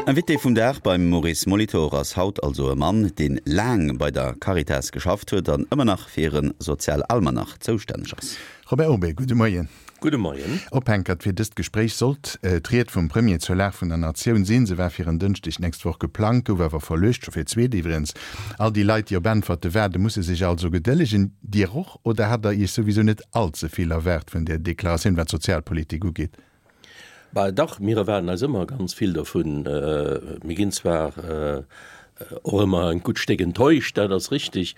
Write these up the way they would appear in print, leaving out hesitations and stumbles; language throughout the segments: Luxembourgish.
Invité vum Dag beim Maurice Molitor ass haut also e Mann, deen laang bei der Caritas geschafft huet an ëmmer nach fir hire Sozialalmanach zoustänneg ass. Robert Urbé, gudde Moien. Gudde Moien. Ophänkert fir dëst Gespréich sollt d'Ried vum Premier zur Lag vun der Natioun sinn. Se war fir en Dënschdeg d'nächst Woch geplangt, gouf awer verluecht, scho fir d'zweet iwwregens. All déi Leit, déi op Äntwerte waarden, musse sech also gedëllegen. Dir och? Oder hat Der Iech souwisou net all ze vill erwaart vun där Deklaratioun, wat d'Sozialpolitik ugeet? Bah dach, mir erwaarden eis ëmmer ganz vill dervun. Mir ginn zwar och ëmmer en gutt Stéck enttäuscht, dat ass richtig,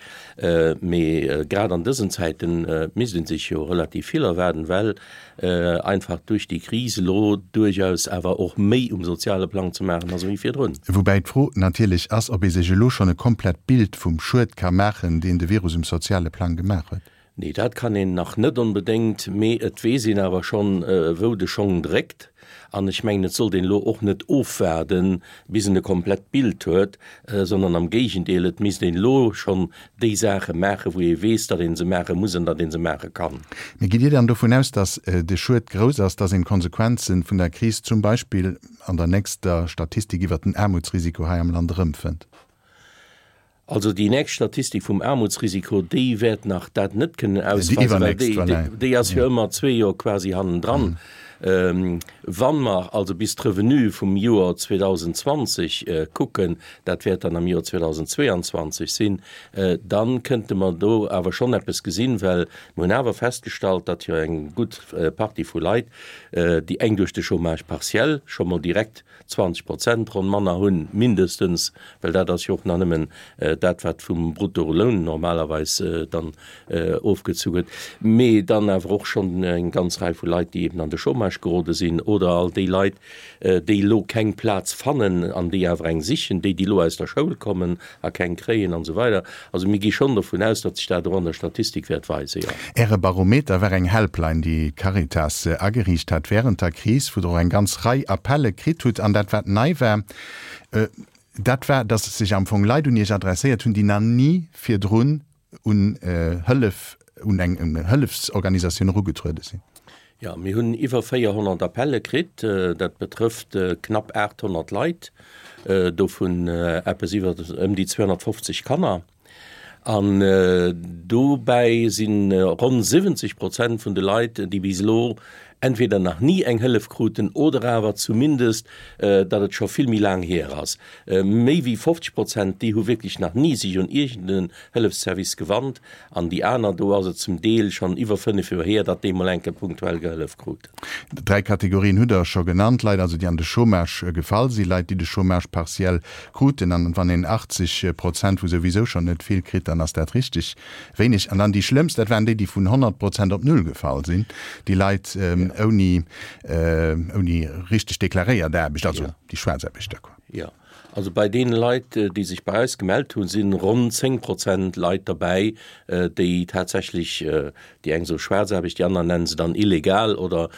mee grad an dësen Zäite misst ee sech jo relativ vill erwaarden, well einfach duerch déi Kris elo duerchaus awer och méi um soziale Plang ze maachen ass ewéi virdrun. Woubäi d'Fro natierlech ass, ob ee sech elo schonn e komplett Bild vum Schued ka maachen, deen de Virus um soziale Plang gemaach huet. Nee, dat kann een nach net onbedéngt, mee et weess een awer schonn, wou de Schong dréckt. An ech mengen, et sollt een elo och net ofwaarden, bis en e komplett Bild huet, sondern am Géigendeel, et misst een elo schonn déi Saache maachen, wou ee weess, datt ee se maache muss an datt ee se maache kann. Mee gitt Dir dann dovun aus, datt de Schued grouss ass, datt een d'Konsequenze vun der Kris zum Beispill an der nächster Statistik iwwert den Aarmutsrisiko hei am Land erëmfënnt? Also déi nächst Statistik vum Aarmutsrisiko, déi wäert nach dat net kënnen ausweisen, well déi, déi ass jo ëmmer zwee Joer quasi hannendran. Wa mer also bis d'Revenue vum Joer 2020 kucken, dat wäert dann am Joer 2022 sinn, da kënnte mer do awer schonn eppes gesinn, well mer hunn awer festgestallt, datt jo eng gutt Partie vu Leit, déi eng duerch de Chômage partiel scho mol direkt 20 Prozent ronn manner hunn, mindestens, well dat ass jo och nach nëmmen dat, wat vum Bruttoloun normalerweis dann ofgezu gëtt, mee dann awer och schonn eng ganz Rei vu Leit, déi eben an de Chômage gerode sinn, oder all déi Leit, déi elo keng Plaz fannen an déi awer eng sichen, déi, déi elo aus der Schoul kommen a keng kréien an esou weider. Also mir gi schonn dovun aus, datt sech dat och an der Statistik wäert weisen, jo. Äre Barometer war eng Helpline, déi d'Caritas ageriicht hat wärend der Kris, wou Der och eng ganz Rei Appelle kritt hutt. An dat, wat nei war, dat war, datt sech am Fong Leit un Iech adresséiert hunn, déi nach ni virdrun un Hëllef, un eng Hëllefsorganisatioun erugetruede sinn. Jo, mir hunn iwwer 400 Appelle kritt. Dat betrëfft knapp 800 Leit, dovun eppes iwwer ëm déi 250 Kanner. An dobäi si ronn 70 Prozent vun de Leit, déi bis elo entweder nach ni eng Hëllef kruten oder awer zumindest, datt et scho vill méi laang hier ass. Méi wéi 50 Prozent, déi hu wierklech nach ni sech un iergend en Hëllefsservice gewannt. An déi aner, do ass et zum Deel schonn iwwer 5 Joer hier, datt déi mol eng Kéier punktuell gehëllef kruten. Dräi Kategorien hutt Der scho genannt, Leit also, déi an de Chômage gefall sinn, Leit, déi de Chômage partiel kruten, an wann een 80 Prozent vu souwisou schonn net vill kritt, dann ass dat richteg wéineg. An dann déi schlëmmst, dat waren déi, déi vun 100 Prozent op null gefall sinn, déi Leit ouni, ouni richteg deklaréiert Aarbecht, also déi Schwaarzaarbechter, quoi. Jo. Also bei deene Leit, déi sech bei eis gemellt hunn, si ronn 10 Prozent Leit derbäi, déi tatsächlech, déi eng soe Schwaarzaarbecht, déi aner nennen se dann illegal oder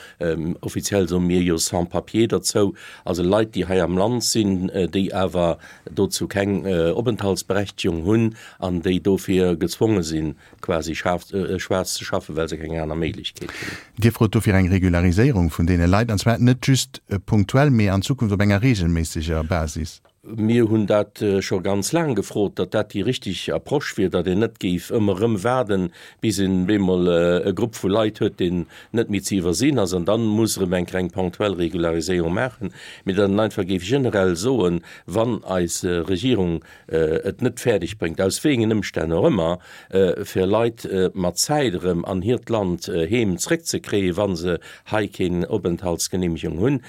offiziell soe mir jo Sans-papiers derzou, also Leit, déi hei am Land sinn, déi awer dozou keng Openthaltsberechtegung hunn an déi dofir gezwonge sinn, quasi schwaarz ze schaffen, well se keng aner Méiglechkeet hunn. Dir frot dofir eng Regulariséierung vun deene Leit, an zwar net just punktuell, mee an Zukunft op enger regelméisseger Basis. Mir hunn dat scho ganz laang gefrot, datt dat déi richtig Approche wier, datt een net géif ëmmer erëm waarden, bis een bemol e Grupp vu Leit huet, deen net méi ze iwwersinn ass, an dann muss erëm eng kleng ponctuell Regulariséierung maachen, mee datt een einfach géif generell soen, wann eis Regierung et net fäerdeg bréngt, aus wéi engen Ëmstänn och ëmmer, fir Leit mat Zäit erëm an hiert Land heem zréckzekréien, wa se hei keen Openthaltsgenehmegung hunn,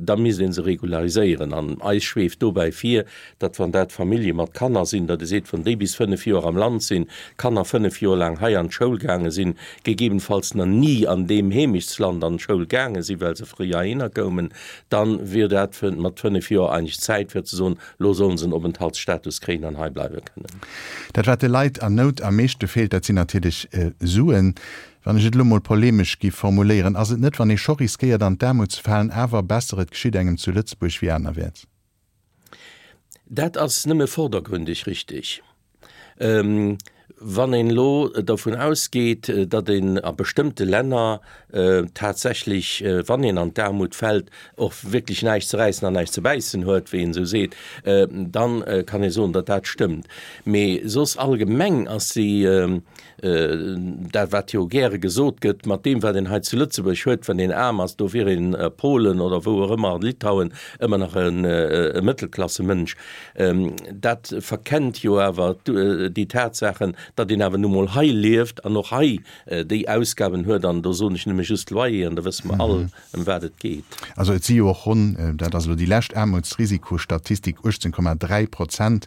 da misst ee se regulariséieren. An eis schweeft dobäi vir, datt, wann dat Famillje mat Kanner sinn, datt ee seet, wann déi bis 5 Joer am Land sinn, d'Kanner 5 Joer laang hei an d'Schoul gaange sinn, gegebenfalls nach ni an deem Heemechtsland an d'Schoul gaange sinn, well se fréi heihinner koumen, da wier dat mat 5 Joer eigentlech Zäit fir ze soen, Lo sollen se en Openthaltsstatus kréien an hei bleiwe kënnen. Dat wat de Leit an Nout am meeschte feelt, dat sinn natierlech Suen. Wann ech et elo mol polemesch giff formuléieren, ass et net, wann ee scho riskéiert an d'Aarmut ze falen, awer besser et geschitt engem zu Lëtzebuerg wéi anerwäerts? Dat ass nëmme vordergründig richtig. Wann een elo dovun ausgeet, datt een a bestëmmte Länner tatsächlech, wann een an d'Aarmut fält, och wierklech näischt ze räissen an näischt ze bäissen huet, wéi een esou seet, da kann ee soen, datt dat stëmmt. Mee soss allgemeng ass déi, dat wat jo gäre gesot gëtt, mat deem wat een hei zu Lëtzebuerg huet, wann een aarm ass, do wier een a Polen oder wou och ëmmer, a Litauen, ëmmer nach e Mëttelklassemënsch. Dat verkennt jo awer déi Tatsaachen, datt een awer nu mol hei lieft an och hei déi Ausgaben huet. An do soen ech nëmme just Loyer an da wësse mer all, ëm wat et geet. Also et si jo och ronn, dat ass elo déi lescht Aarmutsrisikostatistik, 18,3 Prozent,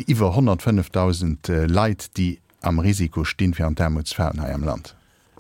iwwer 105.000 Leit, déi am Risiko stinn, fir an d'Aarmut ze falen hei am Land.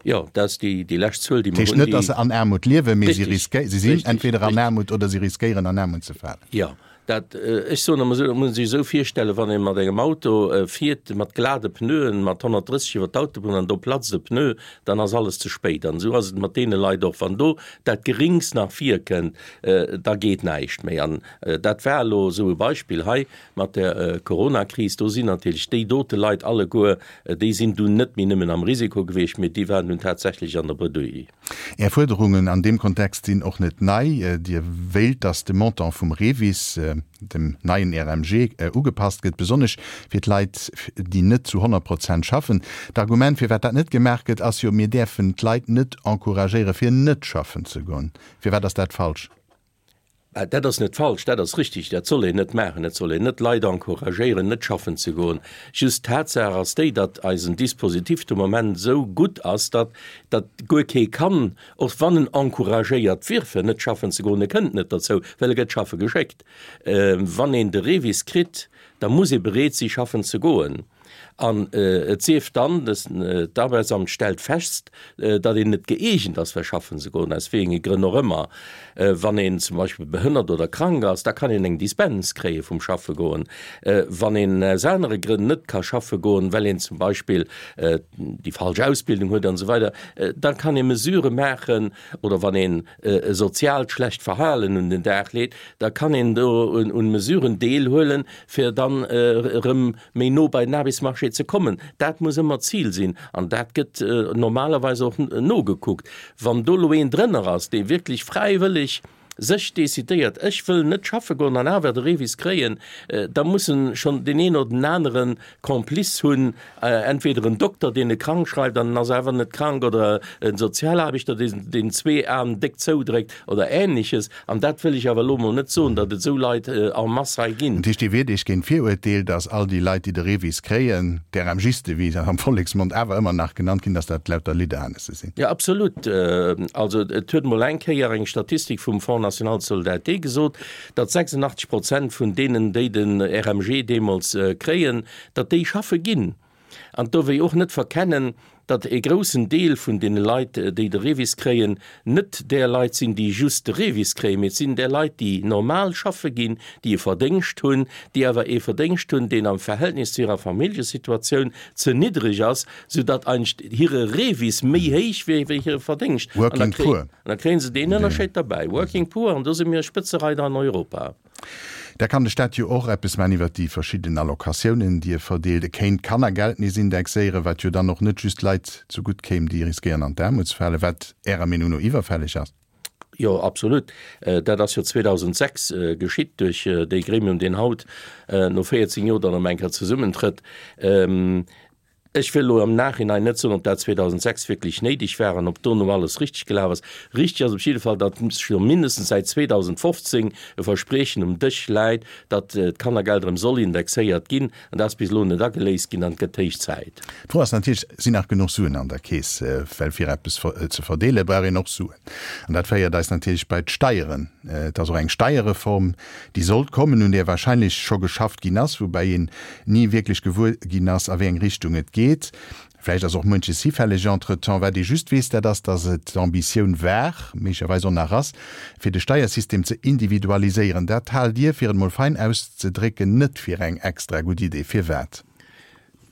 Jo, dat ass déi, déi lescht Zuel, déi mer hunn. Dat heescht net, datt se an Aarmut liewen, mee si riskéi, si sinn entweder an Aarmut oder si riskéieren an Aarmut ze falen. Jo, dat, ech soen ëmmer esou, dat muss ee sech esou virstellen, wann ee mat engem Auto fiert, mat glade Pneuen, mat 130 iwwer d'Autobunn an do platzt e Pneu, dann ass alles ze spéit. An esou ass et mat deene Leit och. Wann do dat Geringst nach virkënnt, da geet näischt méi. An dat war elo esou e Beispill hei Mat der Coronakris, do sinn natierlech déi dote Leit alleguer, déi sinn dunn net méi nëmmen am Risiko gewiescht, mee déi waren dunn tatsächlech an der Bredouille. Är Fuerderungen an deem Kontext sinn och net nei. Dir wéilt, datt de Montant vum REVIS, dem neien RMG, ugepasst gëtt, besonnesch fir d'Leit, déi net zu 100 Prozent schaffen. D'Argument, firwat dat net gemaach gëtt, ass jo, mir däerfen d'Leit net encouragéieren, fir net schaffen ze goen. Firwat ass dat falsch? Dat ass net falsch, dat ass richtig. Dat soll een net maachen. Et soll een net d'Leit encouragéieren, net schaffen ze goen. Just d'Tatsaach ass déi, datt eisen Dispositif de Moment esou gutt ass, datt datt guer kee kann, och wann en encouragéiert wier fir net schaffen ze goen, e kënnt net derzou, well e gëtt schaffe geschéckt. Wann een de REVIS kritt, da muss ee bereet si schaffen ze goen. An et sief dann, d'Arbeitsamt stellt fest, datt een net gëeegent ass fir schaffen ze goen, aus wéi enge Grënn och ëmmer. Wann een zum Beispill behënnert oder krank ass, da kann een eng Dispens kréie vum Schaffe goen. Wann een aus anere Grënn net ka schaffe goen, well een zum Beispill déi falsch Ausbildung huet an esou weider, da kann ee Mesurë maachen, oder wann een e soziaalt schlecht Verhalen un den Dag leet, da kann een do un Mesuren deelhuelen, fir dann erëm méi no bei den Aarbechtsmarché ze kommen. Dat muss ëmmer d'Zil sinn an dat gëtt normalerweis och nogekuckt. Wann do elo een drënner ass, dee wierklech fräiwëlleg sech decidéiert, ech wëll net schaffe goen an awer de REVIS kréien, da muss en schonn deen een oder den anere Complice hunn, entweder en Dokter, deen e krank schreift an en ass awer net krank, oder e Sozialaarbechter, deen deen zwee Aen déck zoudréckt oder Ähnleches. An dat wëll ech awer elo emol net soen, datt et esou Leit en masse hei ginn. Dat heescht, Dir wiert Iech géint d'Virurteel, datt all déi Leit, déi de REVIS kréien, d'RMGiste, wéi se am Volleksmond awer ëmmer nach genannt ginn, datt dat lauter Lidderhanesse sinn? Jo, absolut. Also et huet emol eng Kéier eng Statistik vum Fonds national de solidarité gesot, datt 86 Prozent vun deenen, déi den RMG deemools kréien, datt déi schaffe ginn. An do wéi och net verkennen, datt e groussen Deel vun deene Leit, déi de REVIS kréien, net där Leit sinn, déi just de REVIS kréien, mee et sinn där Leit, déi normal schaffe ginn, déi e Verdéngscht hunn, déi awer ee Verdéngscht hunn, deen am Verhältnis zu hirer Familljesituatioun ze niddreg ass, soudatt eigentlech hire REVIS méi héich wier wéi hire Verdéngscht. Working poor. An da kréie se deen Ënnerscheed derbäi, Working poor, an do si mir Spëtzereider an Europa. Da kann de Staat jo och eppes man iwwert déi verschidden Allocatiounen, déi e verdeelt. E kéint d'Kannergeld nees indexéieren, wat jo dann och net just Leit zegutt kéim, déi riskéieren an d'Aarmut ze falen, wat Ärer Meenung no iwwerfälleg ass. Jo, absolut. Dat ass jo 2006 geschitt duerch dee Gremium, deen haut no 14 Joer dann erëm eng Kéier zesummentrëtt. Ech wëll elo am Nachhinein net soen, ob dat 2006 wierklech néideg war an ob dono alles richteg gelaf ass. Richteg ass op jidde Fall, datt scho mindestens säit 2015 e Verspriechen um Dësch läit, datt d'Kannergeld erëm soll indexéiert ginn. An dat ass bis elo net ageléist ginn an et gëtt héich Zäit. D'Fro ass natierlech, Sinn nach genuch Suen an der Keess? Well fir eppes ze verdeele brauch een och Suen. An dat féiert eis natierlech bei d'Steieren. Et ass och eng Steierreform, déi sollt kommen, un där wahrscheinlech scho geschafft ginn ass, woubäi een ni wierklech gewuer ginn ass, a wéi eng Richtung et geet. Vläicht ass och muenches hifälleg entretemps. Wat ee just weess, dat ass, datt et d'Ambitioun war, méiglecherweis och nach ass, fir de Steiersystem ze individualiséieren. Dat haalt Dir, fir et mol fein auszedrécken, net fir eng extra gutt Idee. Firwat?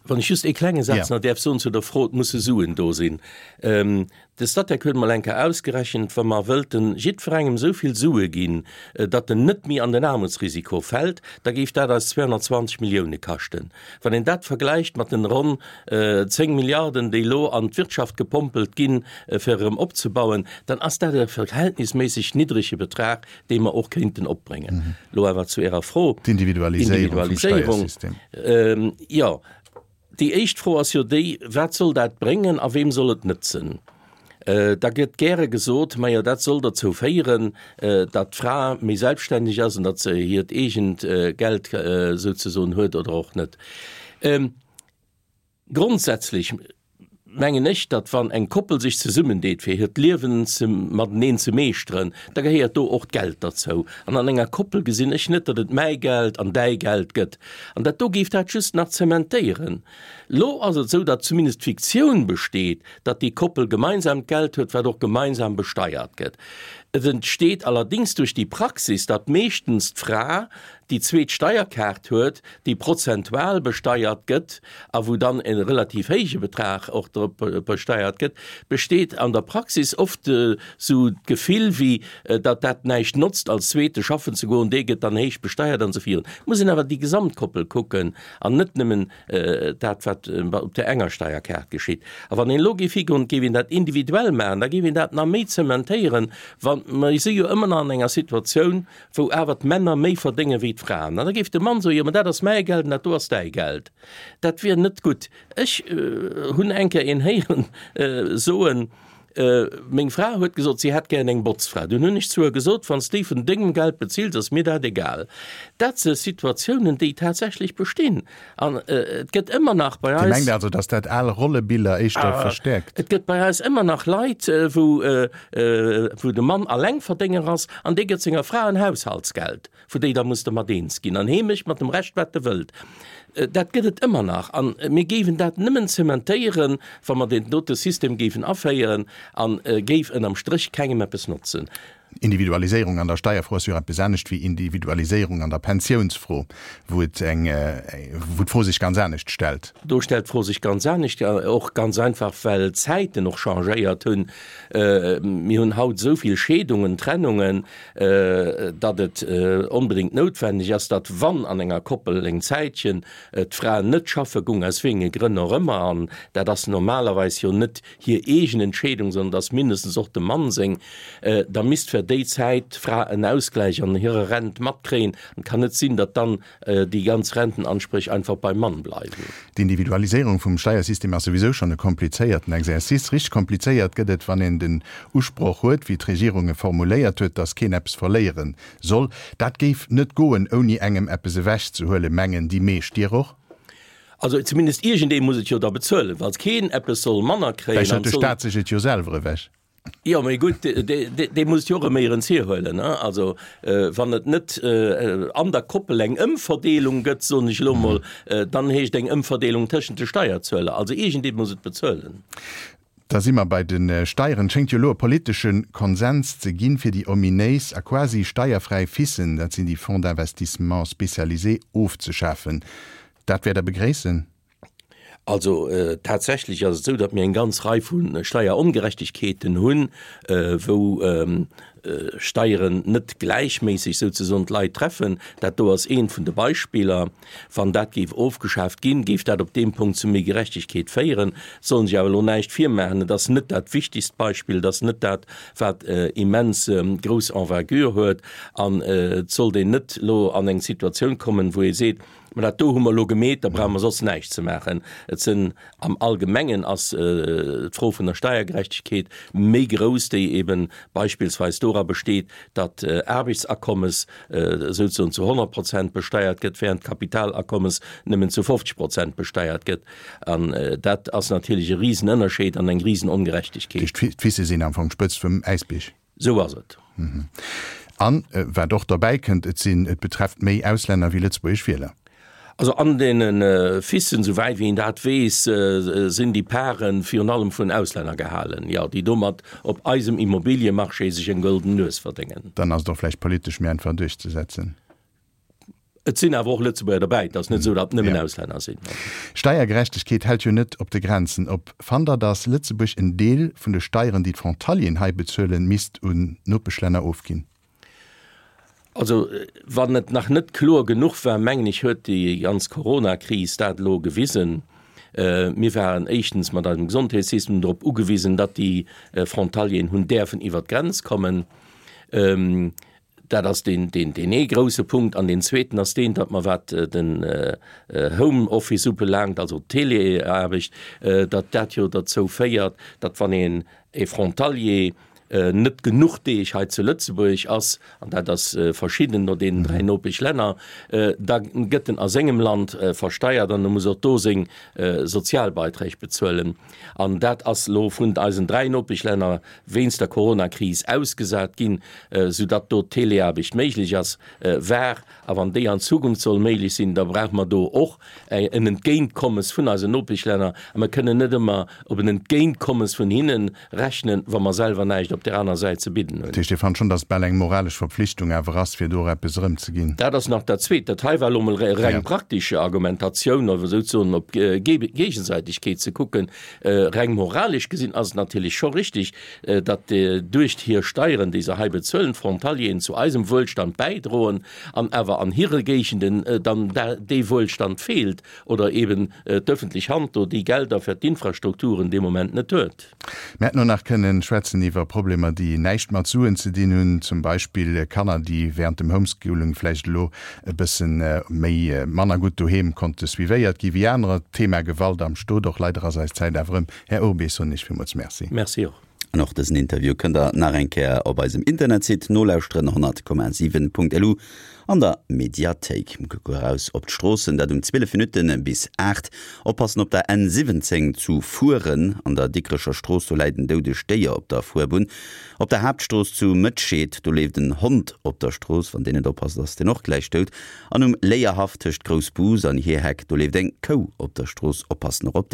Wann ech just ee klenge Saz nach däerf soen zu der Fro, et musse Suen do sinn. De Statec huet emol eng Kéier ausgerechent, wa mer wëllten jiddwerengem esou vill Sue ginn, datt en net méi an den Aarmutsrisiko fält, da géif dat eis 220 Millioune kaschten. Wann een dat vergläicht mat den ronn 10 Milliarden, déi elo an d'Wirtschaft gepompelt ginn, fir erëm opzebauen, dann ass dat e verhältnisméisseg niddrege Betrag, dee mer och kéinten opbréngen. Elo awer zu Ärer Fro. D'Individualiséierung vum Steiersystem. Jo, déi éischt Fro ass jo déi, Wat soll dat bréngen a weem soll et nëtzen? Da gëtt gäre gesot, Majo, dat soll derzou féieren, datt d'Fra méi selbststänneg ass an datt se hiert eegent Geld souzesoen huet oder och net. Grondsätzlech mengen ech, datt wann eng Koppel sech zesummendeet fir hiert Liewen ze mateneen ze meeschteren, da gehéiert do och d'Geld derzou. An an enger Koppel gesinn ech net, datt et mäi Geld an däi Geld gëtt. An dat do géif dat just nach zementéieren. Lo ass et esou, datt zumindest d'Fiktioun besteet, datt déi Koppel gemeinsam d'Geld huet, wat och gemeinsam besteiert gëtt. Et entsteet allerdéngs duerch déi Praxis, datt meeschtens d'Fra déi zweet Steierkaart huet, déi prozentual besteiert gëtt a wou dann e relativ héije Betrag och drop besteiert gëtt, besteet an der Praxis oft esou d'Gefill, wéi datt dat näischt notzt, als Zweete schaffen ze goen, dee gëtt dann héich besteiert an esou virun. Et muss een awer déi Gesamtkoppel kucken an net nëmmen dat, wat op där enger Steierkaart geschitt. A wann een elo géif higoen, et géif een dat individuell maachen, da géif een dat nach méi zementéieren, wa mer si jo ëmmer nach an enger Situatioun, wou awer d'Männer méi verdénge wéi d'Fraen. An da géif de Mann soen, jo, mä dat ass mäi Geld an dat do ass däi Geld. Dat wier net gutt. Ech hunn eng Kéier een héieren soen, meng Fra huet gesot, si hätt gären eng Botzfra. Dunn hunn ech zu hir gesot, wann s déi vun dengem Geld bezills, ass mir dat egal. Dat si Situatiounen, déi tatsächlech bestinn. An et gëtt ëmmer nach bei eis. Dir mengt also, datt dat al Rollebiller éischter verstäerkt? Et gëtt bei eis ëmmer nach Leit, wou, wou de Mann Allengverdénger ass an dee gëtt senger Fra en Haushaltsgeld, wou déi da muss dermat eens ginn an hee mécht mat dem Rescht, wat e wëllt. Dat gëtt et ëmmer nach. A mir géifen dat nëmmen zementéieren, wa mer deen dote System géifen aféieren an géif ënnerm Stréch kengem eppes notzen. Individualiséierung an der Steierfro ass jo eppes anescht wéi Individualiséierung an der Pensiounsfro, wou et eng, wou d'Fro sech ganz anescht stellt. Do stellt d'Fro sech ganz anescht, och ganz einfach, well d'Zäiten och changéiert hunn. Mir hunn haut esou vill Scheedungen, Trennungen, datt et onbedéngt noutwenneg ass, datt wann an enger Koppel eng Zäitchen d'Fra net schaffe gung, aus wéi enge Grënn och ëmmer, an dat ass normalerweis jo net hir eegen Entscheedung, sondern et ass mindestens och dem Mann seng, da misst fir déi Zäit d'Fra en Ausgläich an hirer Rent matkréien. An et kann net sinn, datt dann déi ganz Rentenansprech einfach beim Mann bleiwen. D'Individualiséierung vum Steiersystem ass souwisou schonn e komplizéierten Exercice. Richteg komplizéiert gëtt et, wann een den Usproch huet, wéi d'Regierung e formuléiert huet, datt keen eppes verléiere soll. Dat géif net goen, ouni engem eppes ewechzehuelen, mengen déi meescht. Dir och? Also zumindest iergendee muss et jo da bezuelen, falls keen eppes soll manner kréien. Vläicht hëlt de Staat sech et jo selwer ewech. Jo, mee gutt, dee muss et jo och erëm éierens hierhuelen. Also wann et net an der Koppel eng Ëmverdeelung gëtt, soen ech elo emol, dann heescht eng Ëmverdeelung tëschent de Steierzueler. Also iergendee muss et bezuelen. Da si mer bei de Steieren. Et schéngt jo elo e politesche Konsens ze ginn, fir déi ominéis a quasi steierfräi FISen, dat sinn déi Fonds d'investissement spécialisés, ofzeschafen. Dat wäert Der begréissen? Also tatsächlech ass et esou, datt mir eng ganz Rei vu Steierongerechtegkeeten hunn, wou Steieren net gläichméisseg souzesoen d'Leit treffen. Dat do ass eent vun de Beispiller. Wann dat géif ofgeschaaft ginn, géif dat op deem Punkt zu méi Gerechtegkeet féieren. Et soll een sech awer elo näischt virmaachen, et ass net dat wichtigst Beispill, et ass net dat, wat immens grouss Envergure huet. An et sollt een net elo an eng Situatioun kommen, wou ee seet, Mä dat do hu mer elo gemeet, da brauche mer soss näischt ze maachen. Et sinn, am Allgemengen ass d'Fro vun der Steiergerechtegkeet méi grouss, déi ebe beispillsweis dora besteet, datt Aarbechtsakommes souzesoen zu 100 Prozent besteiert gëtt, während d'Kapitalakommes nëmmen zu 50 Prozent besteiert gëtt. An dat ass natierlech e Risenënnerscheed an eng Risenongerechtegkeet. D'FISe sinn am Fong d'Spëtzt vum Äisbierg. Sou ass et. An, wat och derbäi kënnt, et sinn, et betrefft méi Auslänner wéi lëtzebuergesch Wieler. Also an deene FISen, sou wäit wéi een dat weess, sinn déi Pare virun allem vun Auslänner gehalen, jo, déi domat op eisem Immobiliemarché sech eng gëlden Nues verdéngen. Dann ass et och vläicht politesch méi einfach duerchzesetzen. Et sinn awer och Lëtzebuerger derbäi, et ass net esou, datt nëmmen Auslänner sinn. Steiergerechtegkeet hält jo net op de Grenzen op. Fannt Der, datt Lëtzebuerg en Deel vun de Steieren, déi d'Frontalieren hei bezuelen, misst un d'Nopeschlänner ofginn? Also, wann et nach net kloer genuch war, mengen ech, huet déi ganz Coronakris dat elo gewisen. Mir waren éischtens mat eisem Gesondheetssystem drop ugewisen, datt déi Frontalieren hunn däerfen iwwert d'Grenz kommen. Dat ass deen, deen, deen ee grouse Punkt. An deen zweeten ass deen, datt mer, wat den Homeoffice ubelaangt, also d'Teleaarbecht, datt dat jo derzou féiert, datt wann een e Frontalier net genuch Deeg hei zu Lëtzebuerg ass, an dat ass verschidden no deenen dräi Nopeschlänner, da gëtt en a sengem Land versteiert an e muss och do seng Sozialbeiträg bezuelen. An dat ass elo vun eisen dräi Nopeschlänner wéinst der Coronakris ausgesat ginn, soudatt do d'Teleaarbecht méiglech ass, war. A wann déi an Zukunft soll méiglech sinn, da brauche mer do och en Entgéintkommes vun eisen Nopeschlänner. A mer kënnen net ëmmer op en Entgéintkommes vun hinne rechnen, wa mer selwer näischt op där aner Säit ze bidden hunn. Dat heescht, Dir fannt schonn, datt et bal eng moralesch Verpflichtung awer ass, fir do och eppes erëmzeginn? Dat ass nach dat Zweet. Dat hei war elo emol reng praktesch Argumentatioun, oder souzesoen op Géigesäitegkeet ze kucken. Reng moralesch gesinn ass et natierlech scho richtig, datt duerch hir Steieren, déi se hei bezuelen, d'Frontalieren zu eisem Wuelstand bäidroen an awer an hire Géigenden dann dee Wuelstand feelt oder eben d'öffentlech Hand do déi Gelder fir d'Infrastrukturen dee Moment net huet. Mir hätten och nach kënnen schwätzen iwwer Problemer, déi näischt mat Suen ze dinn hunn, zum Beispill Kanner, déi während dem Homeschooling vläicht elo e bëssen méi manner gutt doheem konnte suivéiert gi wéi anerer. D'Thema Gewalt am Stot och. Leider ass eis Zäit awer ëm. Här Urbé, soen ech villmools Merci. Merci och. An och dësen Interview kënnt der nach eng Kéier op eisem Internetsite nolauschteren, 100,7.lu an der Mediathéik. Kucke eraus op d'Stroossen, dat um 12 Minutte bis 8. Oppassen op der N 17 zu Furen an der Dikrecher Strooss, do läit en doudegt Déier op der Fuerbunn. Op der Haaptstrooss zu Mëtscheed, do leeft en Hond op der Strooss, wann deen net oppasst, ass deen och gläich dout. An um Léierhaff tëscht Groussbus an Hierheck, do leeft eng Kou op der Strooss, oppassen och op déi.